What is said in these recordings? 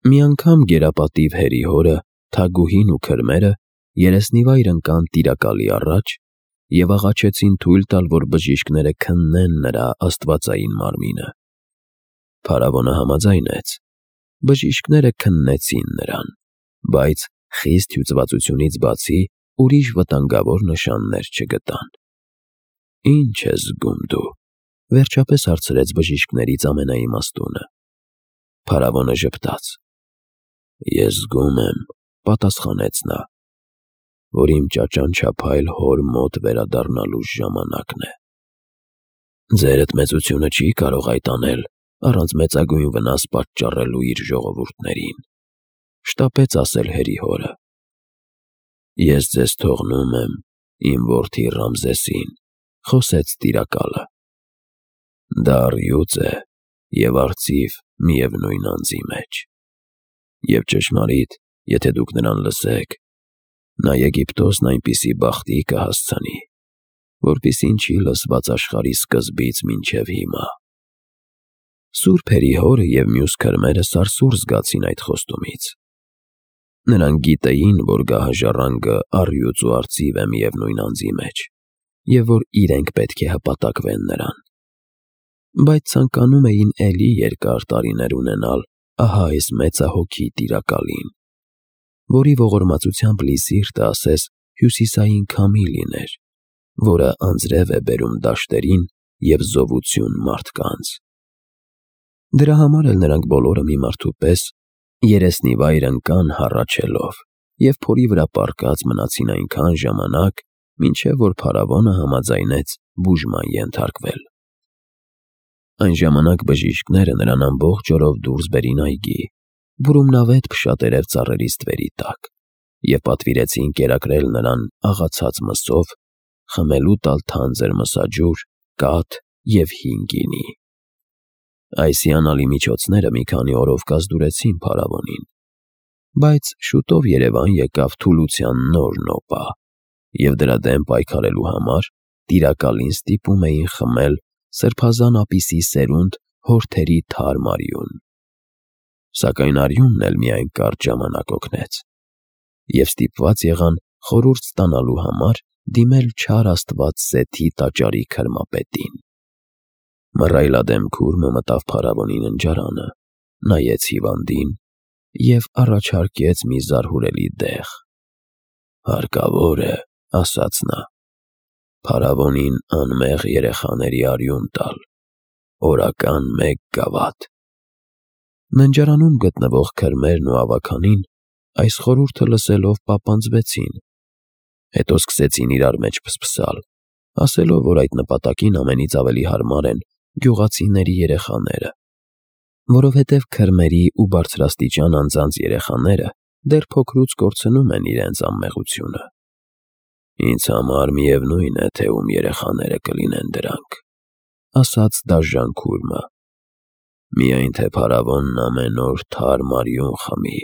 Մի անգամ գերապատիվ հերի հորը, Թագուհին ու քրմերը երեսնիվայր ընկան Տիրակալի առաջ և աղաչեցին թույլ տալ, որ բժիշկները քննեն նրա աստվածային մարմինը։ Փարավոնը համաձայնեց։ Բժիշկները քննեցին նրան, բայց խիստ հյուծվածությունից բացի ուրիշ վտանգավոր նշաններ չգտան։ «Ի՞նչ ես զգում դու», վերջապես հարցրեց բժիշկներից ամենաիմաստունը։ Փարավոնը ժպտաց։ «Ես զգում եմ», պատասխանեց նա, «որ իմ ճաճանչափայլ հոր մոտ վերադառնալու ժամանակն է»։ «Ձերդ մեծությունը չի կարող այդ անել առանց մեծագույն վնաս պատճառելու իր ժողովուրդներին», շտապեց ասել հերի հորը։ «Ես ձեզ թողնում եմ իմ որդի Ռամզեսին», խոսեց Տիրակալը։ «Դա առյուծ է և արծիվ միևնույն անձի մեջ։ Եվ ճշմարիտ, եթե դուք նրան լսեք, նա Եգիպտոսն այնպիսի բախտի կհասցնի, որպիսին չի լսված աշխարհի սկզբից մինչև հիմա»։ Սուրբ հերի հորը և մյուս քրմերը սարսուռ զգացին այդ խոստումից։ Նրանք գիտեին, որ գահը ժառանգը առյուծ ու արծիվ է միևնույն անձի մեջ, և որ իրենք պետք է հպատակվեն նրան։ Բայց ցանկանում էին էլի երկար տարիներ ունենալ ահա այս մեծահոգի Տիրակալին, որի ողորմածությամբ լի սիրտը ասես հյուսիսային քամի լիներ, որը անձրև է բերում դաշտերին և զովություն մարդկանց։ Դրա համար էլ նրանք բոլորը մի մարդու պես երեսնիվայր ընկան հառաչելով և փորի վրա պառկած մնացին այնքան ժամանակ, մինչև որ փարավոնը համաձայնեց բուժման ենթարկվել։ Այն ժամանակ բժիշկները նրան ամբողջ օրով դուրս բերին այգի, բուրումնավետ փշատերև ծառերի ստվերի տակ, և պատվիրեցին կերակրել նրան աղացած մսով, խմելու տալ թանձր մսաջուր, կաթ և հին գինի։ Այս հիանալի միջոցները մի քանի օրով կազդուրեցին փարավոնին, բայց շուտով երևան եկավ թուլության նոր նոպա, և դրա դեմ պայքարելու համար Տիրակալին ստիպում էին խմել սրբազան ապիսի սերունդ հորթերի թարմ արյուն։ Սակայն արյունն էլ միայն կարճ ժամանակ օգնեց, և ստիպված եղան խորհուրդ ստանալու համար դիմել չար աստված Սեթի տաճարի քրմապետին։ Մռայլադեմ քուրմը մտավ փարավոնի ննջարանը, նայեց հիվանդին և առաջարկեց մի զարհուրելի դեղ։ «Հարկավոր է, — ասաց նա, — փարավոնին անմեղ երեխաների արյուն տալ, օրական 1 գավաթ»։ Ննջարանում գտնվող քրմերն ու ավագանին այս խորհուրդը լսելով պապանձվեցին, հետո սկսեցին իրար մեջ փսփսալ, ասելով, որ այդ նպատակին ամենից ավելի հարմար են գյուղացիների երեխաները, որովհետև քրմերի ու բարձրաստիճան անձանց երեխաները դեռ փոքրուց կորցնում են իրենց անմեղությունը։ «Ինձ համար միևնույն է, թե ում երեխաները կլինեն դրանք», — ասաց դաժան քուրմը, «միայն թե փարավոնն ամեն օր թարմ արյուն խմի»։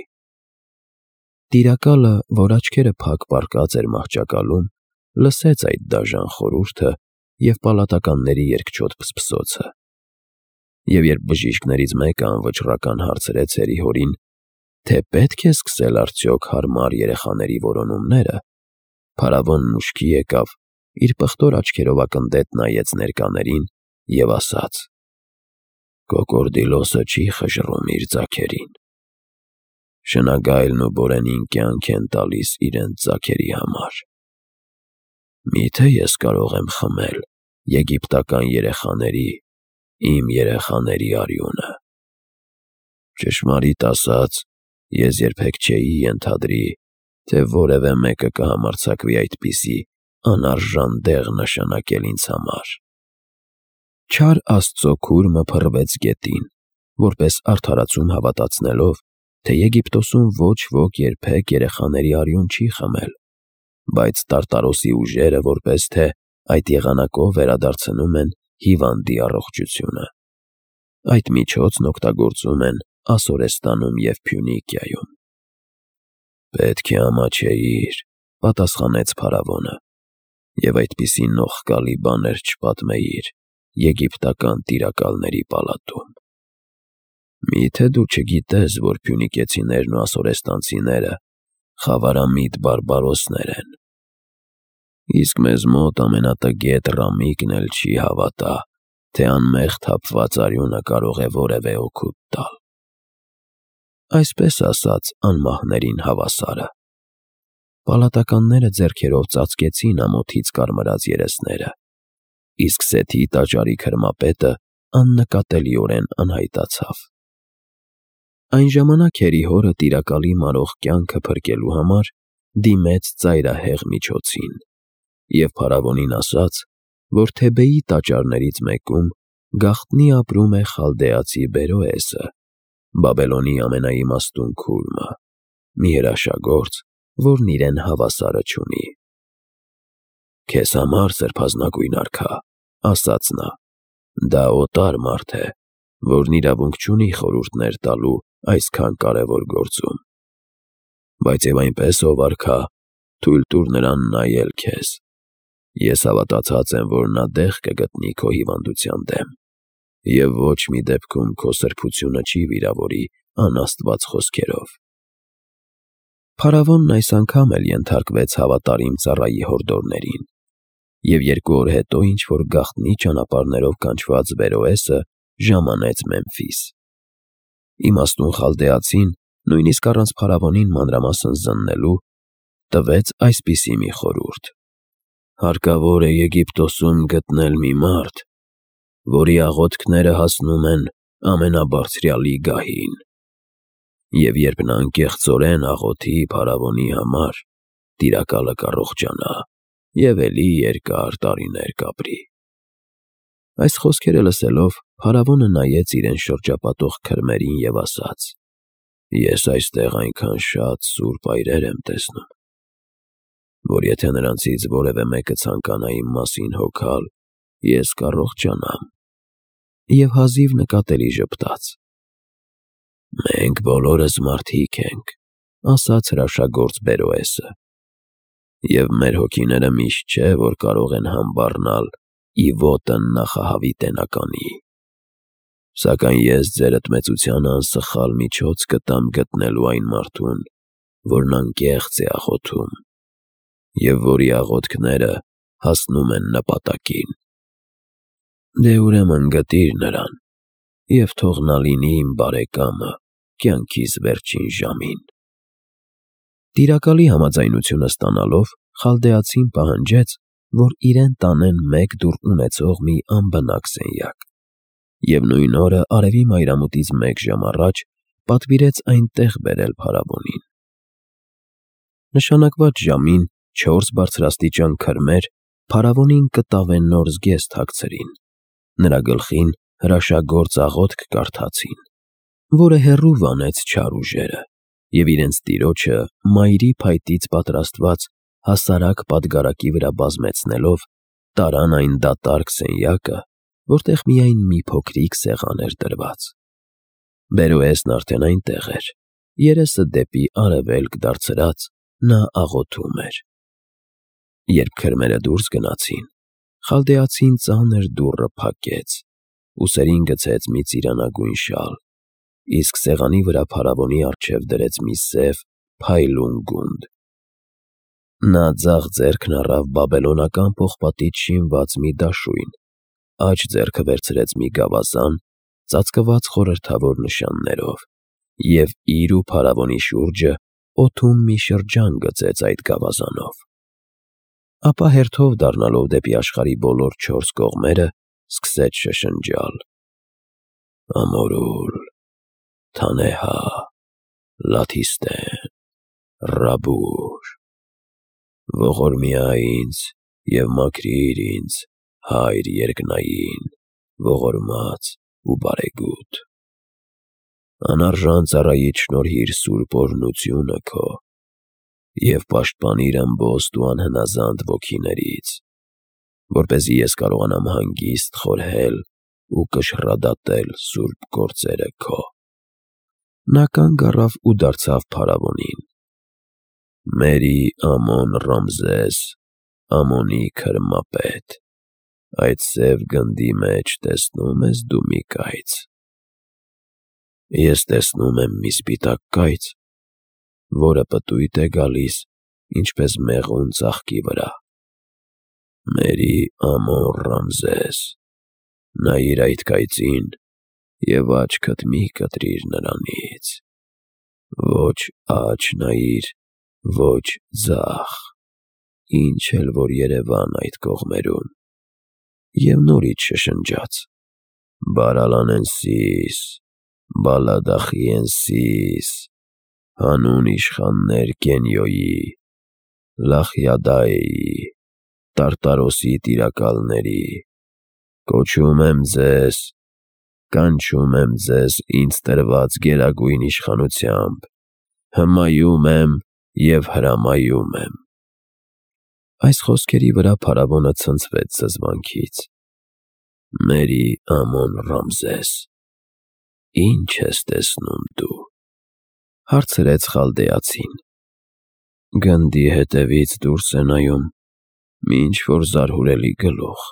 Տիրակալը, որ աչքերը փակ պառկած էր մահճակալում, լսեց այդ դաժան խորհուրդը և պալատականների երկչոտ փսփսոցը։ Եվ երբ բժիշկներից մեկը անվճռական հարցրեց հերի հորին, թե պետք է սկսել արդյոք հարմար երեխաների որոնումները, փարավոնն ուշքի եկավ, իր պղտոր աչքերով ակնդետ նայեց ներկաներին և ասաց. «Կոկորդիլոսը չի խժռում իր ձագերին։ Շնագայլն ու բորենին կյանք են տալիս իրենց ձագերի համար։ Միթե ես կարող եմ խմել եգիպտական երեխաների, իմ երեխաների արյունը։ Ճշմարիտ ասած, ես երբեք չէի ենթադրի, թե որևէ մեկը կհամարձակվի այդպիսի անարժան դեղ նշանակել ինձ համար»։ Չար աստծո քուրմը փռվեց գետին, որպես արդարացում հավատացնելով, թե Եգիպտոսում ոչ ոք երբեք երեխաների արյուն չի խմել, բայց Տարտարոսի ուժերը որպես թե այդ եղանակով վերադարձնում են հիվանդի առողջությունը։ Այդ միջոցն օգտագործում են Ասորեստանում և Փյունիկիայում։ «Պետք է ամաչեիր», — պատասխանեց փարավոնը, «և այդպիսի նողկալի բաներ չպատմեիր եգիպտական տիրակալների պալատում»։ Մի՞թե դու չգիտես, որ փյունիկեցիներն ու ասորեստանցիները խավարամիտ բարբարոսներ են։ Իսկ մեզ մոտ ամենատգետ Ռամիկն էլ չի հավատա, թե անմեղ թափված արյունը կարող է որևէ օգուտ տալ։ Այսպես ասած, անմահներին հավասարը։ Պալատականները ձեռքերով ծածկեցին ամոթից կարմրած երեսները, իսկ Սեթի տաճարի քրմապետը աննկատելիորեն անհայտացավ։ Այն ժամանակ Հերի հորը տիրակալի մարող կյանքը փրկելու համար դիմեց ծայրահեղ միջոցին և փարավոնին ասաց, որ Թեբեի տաճարներից մեկում գաղտնի ապրում է խալդեացի Բերոեսը, Բաբելոնի ամենաիմաստուն քուրմը, մի հրաշագործ, որն իրեն հավասարը չունի։ «Քեզ համար, սրբազնագույն արքա, — ասաց նա, — դա օտար մարդ է, որն իրավունք չունի խորհուրդներ տալու այսքան կարևոր գործում։ Բայց և այնպես, ով արքա, թույլ տուր նրան նայել քեզ։ Ես հավատացած եմ, որ նա դեղ կգտնի քո հիվանդության դեմ, և ոչ մի դեպքում քո սրբությունը չի վիրավորի անաստված խոսքերով»։ Փարավոնն այս անգամ էլ ենթարկվեց հավատարիմ ծառայի հորդորներին, և 2 օր հետո ինչ-որ գաղտնի ճանապարհներով կանչված Բերոեսը ժամանեց Մեմֆիս։ Իմաստուն խալդեացին, նույնիսկ առանց փարավոնին մանրամասն զննելու, տվեց այսպիսի մի խորհուրդ. «Հարկավոր է Եգիպտոսում գտնել մի մարդ, որի աղոթքները հասնում են ամենաբարձրյալի գահին, և երբ նա անկեղծորեն աղոթի փարավոնի համար, տիրակալը կառողջանա և էլի երկար տարիներ կապրի»։ Այս խոսքերը լսելով, փարավոնը նայեց իրեն շրջապատող քրմերին և ասաց. «Ես այստեղ այնքան շատ սուրբ այրեր եմ տեսնում, որ եթե նրանցից որևէ մեկը ցանկանա իմ մասին հոգալ, ես կառողջանամ»։ Եվ հազիվ նկատելի ժպտաց։ «Մենք բոլորս մարդիկ ենք, — ասաց հրաշագործ Բերոեսը, — և մեր հոգիները միշտ չէ, որ կարող են համբառնալ ի ոտն նախահավիտենականի։ Սակայն ես ձեր ընդմեծությանը անսխալ միջոց կտամ գտնելու այն մարդուն, որն անկեղծ է աղոթում, և որի աղոթքները հասնում են նպատակին։ Դե ուրեմն գտիր նրան և թող նա լինի իմ բարեկամը կյանքիս վերջին ժամին»։ Տիրակալի համաձայնությունը ստանալով, խալդեացին պահանջեց, որ իրեն տանեն 1 դուռ ունեցող մի անբնակ սենյակ, և նույն օրը արևի մայրամուտից 1 ժամ առաջ պատվիրեց այնտեղ բերել փարավոնին։ Նշանակված ժամին 4 բարձրաստիճան քրմեր փարավոնին կտավեննոց զգեստ հագցրին, նրա գլխին հրաշագործ աղոթք կարդացին, որը հեռու վանեց չար ուժերը, և իրենց տիրոջը մայրի փայտից պատրաստված հասարակ պատգարակի վրա բազմեցնելով, տարան այն դատարկ սենյակը, որտեղ միայն մի փոքրիկ սեղան էր դրված։ Բերոեսն արդեն այնտեղ էր, երեսը դեպի արևելք դարձրած, նա աղոթում էր։ Երբ քրմերը դուրս գնացին, խալդեացին ծանր դուռը փակեց, ուսերին գցեց մի ծիրանագույն շալ, իսկ սեղանի վրա փարավոնի առջև դրեց մի սև փայլուն գունդ։ Նա ձախ ձեռքն առավ բաբելոնական պողպատից շինված մի դաշույն, աջ ձեռքը վերցրեց մի գավազան՝ ծածկված խորհրդավոր նշաններով, և իր ու փարավոնի շուրջը օդում մի շրջան գծեց այդ գավազանով։ Ապա հերթով դառնալով դեպի աշխարհի բոլոր 4 կողմերը, սկսեց շշնջալ. «Ամորուլ, Թանեհա, Լաթիստեն, Ռաբուր, ողորմյա ինձ և մաքրիր ինձ, Հայր երկնային, ողորմած ու բարեգութ։ Անարժան ծառայիդ շնորհիր սուրբ օրհնությունը քո և պաշտպանիր ըմբոստ ու անհնազանդ ոգիներից, որպեսզի ես կարողանամ հանգիստ խորհել ու կշռադատել սուրբ գործերը քո»։ Նա կանգ առավ ու դարձավ փարավոնին. «Մերի Ամոն Ռամզես, Ամոնի քրմապետ, այդ սև գնդի մեջ տեսնո՞ւմ ես դու մի կայծ»։ Ես տեսնում եմ մի սպիտակ կայծ, որը պտույտ է գալիս, ինչպես մեղուն ծաղկի վրա։ Մերի ամոն Ռամզես, նայիր այդ կայծին և աչքդ մի կտրիր նրանից, ոչ աջ նայիր, ոչ ձախ, ինչ էլ որ երևան այդ կողմերում։ Եվ նորից շշնջաց. «Բարալանենսիս, Բալադախիենսիս, հանուն իշխաններ Գենյոյի, Լախյադայեի, Տարտարոսի տիրակալների, կոչում եմ ձեզ, կանչում եմ ձեզ ինձ տրված գերագույն իշխանությամբ, հմայում եմ և հրամայում եմ»։ Այս խոսքերի վրա փարավոնը ցնցվեց զզվանքից։ «Մերի ամոն Ռամզես, ի՞նչ ես տեսնում դու», հարցրեց խալդեացին։ «Գնդի հետևից դուրս է նայում մի ինչ-որ զարհուրելի գլուխ,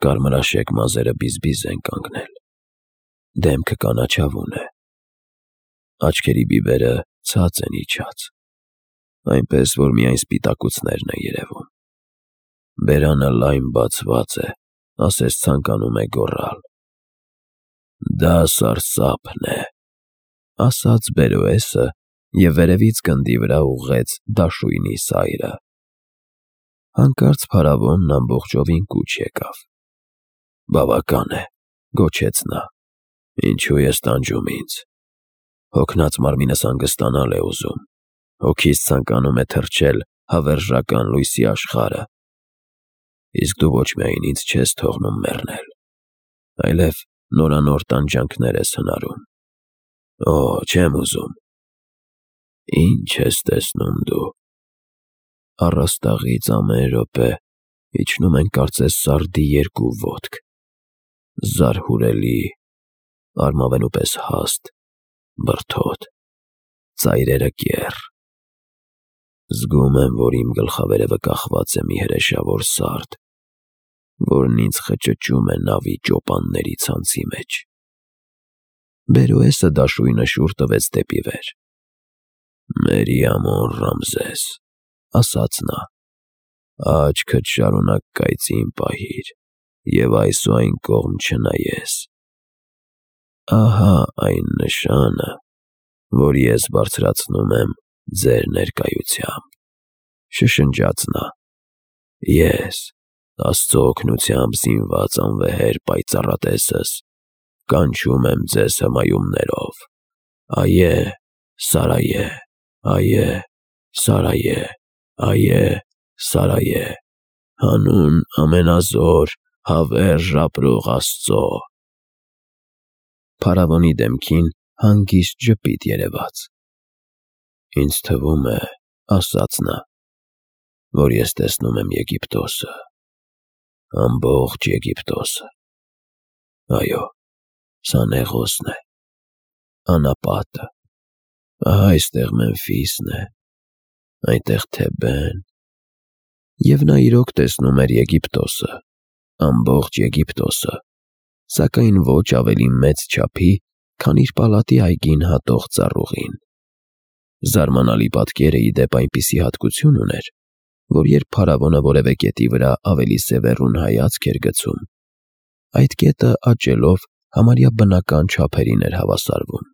կարմրաշեկ մազերը բիզբիզ են կանգնել, դեմքը կանաչավուն է, աչքերի բիբերը ցած են իջած, այնպես որ միայն սպիտակուցներն են երևում, բերանը լայն բացված է, ասես ցանկանում է գոռալ։ Դա սարսափն է», ասաց Բերոեսը և վերևից գնդի վրա ուղղեց դաշույնի սայրը։ Հանկարծ փարավոնն ամբողջովին կուչ եկավ։ «Բավական է», գոչեց նա, «ինչու ես տանջում ինձ։ Հոգնած մարմինս հանգստանալ է ուզում, հոգիս ցանկանում է թռչել հավերժական լույսի աշխարհը։ Իսկ դու ոչ միայն ինձ չես թողնում մեռնել, այլև նորանոր տանջանքներ ես հնարում։ Օ, չեմ ուզում։ Ի՞նչ ես տեսնում դու։ Առաստաղից ամեն րոպե իջնում են կարծես սարդի երկու ոտք, զարհուրելի, արմավենու պես հաստ, բրդոտ, ծայրերը կեռ։ Զգում եմ, որ իմ գլխավերևը կախված է մի հրեշավոր սարդ, որն ինձ խճճում է նավի ճոպանների ցանցի մեջ»։ Բերոեսը դաշույնը շուռ տվեց դեպի վեր։ «Մերի ամոն Ռամզես», ասաց նա, «աչքդ շարունակ կայծին պահիր և այս ու այն կողմ չնայես։ Ահա այն նշանը, որ ես բարձրացնում եմ ձեր ներկայությամբ», շշնջաց նա։ «Ես, Աստծո օգնությամբ զինված անվեհեր պայծառատեսս, կանչում եմ ձեզ հմայումներով. «Այե, Սարայե, այե, Սարայե, այե, Սարայե, հանուն ամենազոր, հավերժ ապրող Աստծո»։ Փարավոնի դեմքին հանգիստ ժպիտ երևաց։ «Ինձ թվում է, ասաց նա, որ ես տեսնում եմ Եգիպտոսը, ամբողջ Եգիպտոսը։ Այո, սա Նեղոսն է, անապատը, ահա այստեղ Մեմֆիսն է, այնտեղ Թեբեն»։ Եվ նա իրոք տեսնում էր Եգիպտոսը, ամբողջ Եգիպտոսը, սակայն ոչ ավելի մեծ չափի, քան իր պալատի այգին հատող ծառուղին։ Զարմանալի պատկերը ի դեպ այնպիսի հատկություն ուներ, որ երբ փարավոնը որևէ կետի վրա ավելի սևեռուն հայացք էր գցում, այդ կետը աճելով համարյա բնական չափերին էր հավասարվում։